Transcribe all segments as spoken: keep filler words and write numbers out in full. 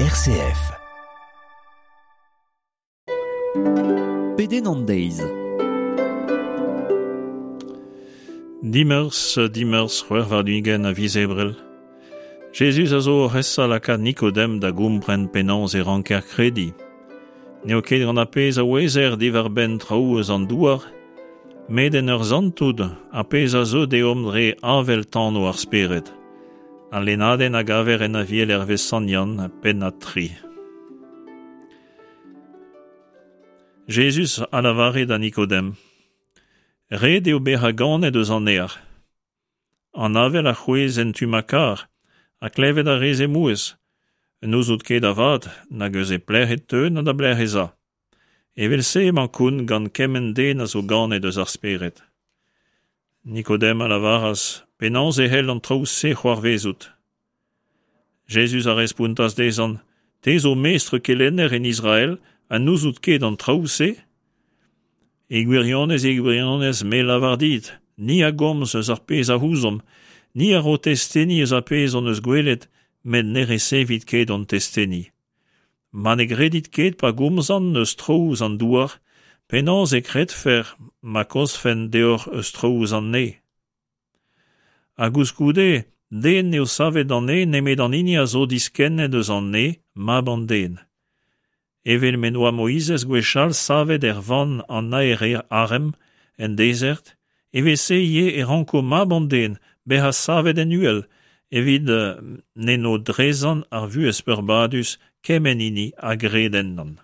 R C F. Pedenn an deiz. Dimeurzh, dimeurzh c'hwec'h warn-ugent a viz Ebrel. Jezuz a zo oc'h esa lakaat Nikodem da gompren penaos e ranker krediñ. N'eo ket gant ar pezh a ouezer diwar-benn traoù eus an douar, met en ur santout ar pezh a zeu deomp dre avel tano ar spered. Al lennadenn a gaver en Aviel hervez Sant Yann, pennad tri. Jezuz a lavare da Nikodem: Ret eo bezañ ganet eus an neñv. An avel a c'hwezh en tu ma kar, ha klevet a rez he mouezh. N'ouzout ket avat nag eus e pelec'h e teu na da belec'h ez a. Evel-se emañ kont gant kement den a zo ganet eus ar spered. Nikodem a lavaras: Penaos e c'hell an traoù-se c'hoarvezout? Jezuz a respontas dezhañ: Te zo mestr kelenner en Israel ha n'ouzout ket an traoù-se? E gwirionez, e gwirionez, me lavar dit, ni a gomz eus ar pezh a ouzomp, ni a ro testeni eus ar pezh hon eus gwelet, met ne resevit ket hon testeni. Ma ne gredit ket pa gomzan eus traoù eus an douar, penaos e kredfec'h ma komzfen deoc'h eus traoù eus an neñv? Ha koulskoude, den n'eo savet d'an neñv nemet an hini a zo diskennet eus an neñv, mab an den. Evel m'en doa Moizez gwechall savet er vann an naer arem en dezert, evel-se ivez e ranko mab an den bezañ savet en uhel, evit m'en do drezañ ar vuhez peurbadus kement hini a gred ennañ.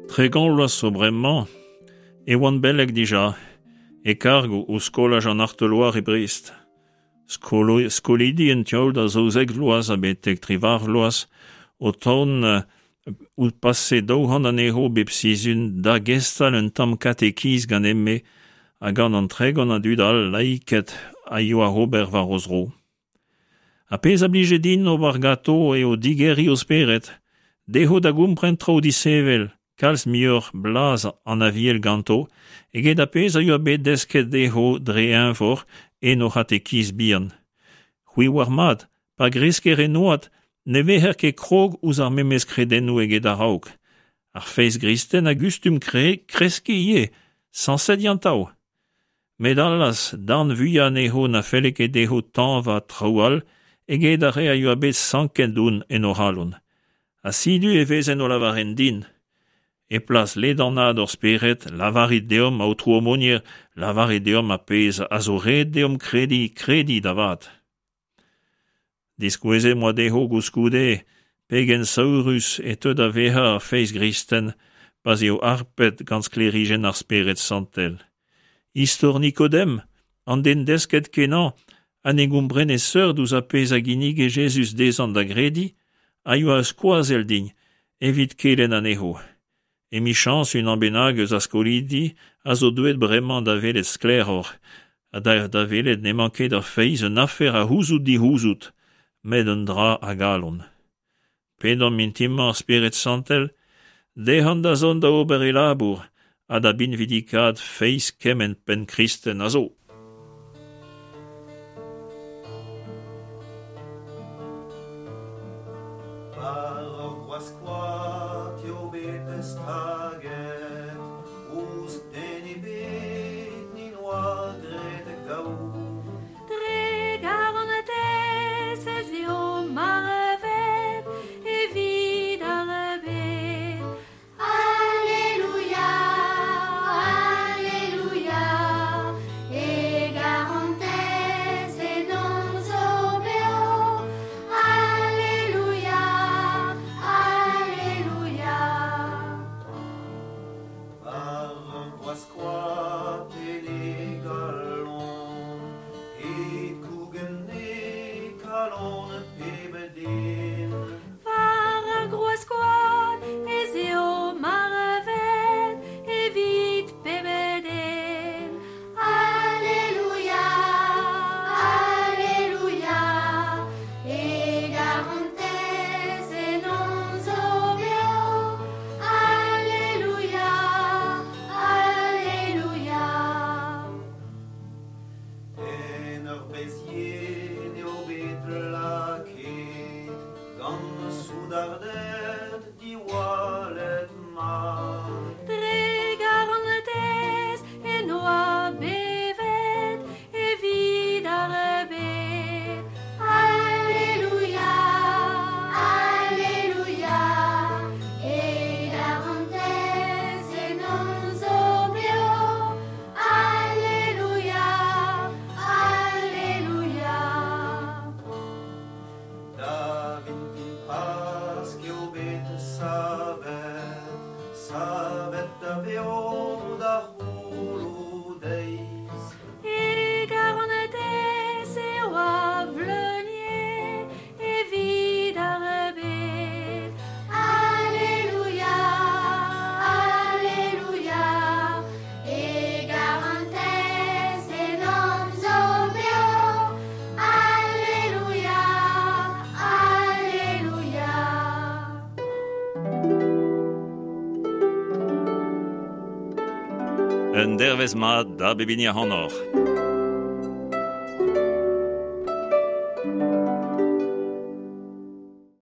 Tregont vloaz zo bremañ e oan beleg dija, e karg ouzh skolaj an Arteloire e Brest. Skolo, skolidi en tu all da zaouzek vloaz ha betek triwac'h vloaz o tont ouzh pase daou c'hant anezho bep sizhun da gestal un tamm katekiz ganin-me ha gant an tregont a dud all laiked a yoa ober war o zro. Ar pezh a blije din ober ganto eo digeriñ o spered, dezho da gompren traoù disheñvel, kalz muioc'h blaz an Aviel ganto eget ar pezh a yoa bet desket dezho dre eñvor en o c'hatekiz bihan. C'hwi oar mat, pa gresker en oad, ne vezer ket krog ouzh ar memes kredennoù eget a-raok. Ar feiz gristen a gustum kre kreskiñ ivez, sañset yantav. Met allaz, darn vuiañ anezho na felle ket dezho tañva traoù all eget ar re a yoa bet sanket don en o c'halon. Ha setu e vezen o lavaret din: E plas ledanaat hor spered, lavarit deomp, aotrou aumônier, lavarit deomp ar pezh a zo ret deomp krediñ, krediñ da vat. Diskouezet 'm boa dezho koulskoude pegen saourus e teu da vezañ ar feiz gristen pa'z eo harpet gant sklêrijenn ar Spered Santel. Istor Nikodem, an den desket kenañ ha ne gomprene seurt ouzh ar pezh a ginnige Jezuz dezhañ da grediñ, a yoa ur skoazell din evit kelenn anezho. Emichañs unan bennak eus ar skolidi a zo deuet bremañ da welet sklaeroc'h ha da, da welet n'emañ ket ar feiz un afer a c'houzout dic'houzout, met un dra a galon. Pedomp mintin-mañ ar Spered Santel, dezhañ da zont da ober e labour ha da binvidikaat feiz kement penn kristen a zo. War ur groaz koad eo bet staget, ouzh den ebet n'en doa graet gaou. Dre garantez ez eo marvet evit ar bed. Alleluia, Alleluia, Un dervezh mat da bep hini ac'hanoc'h.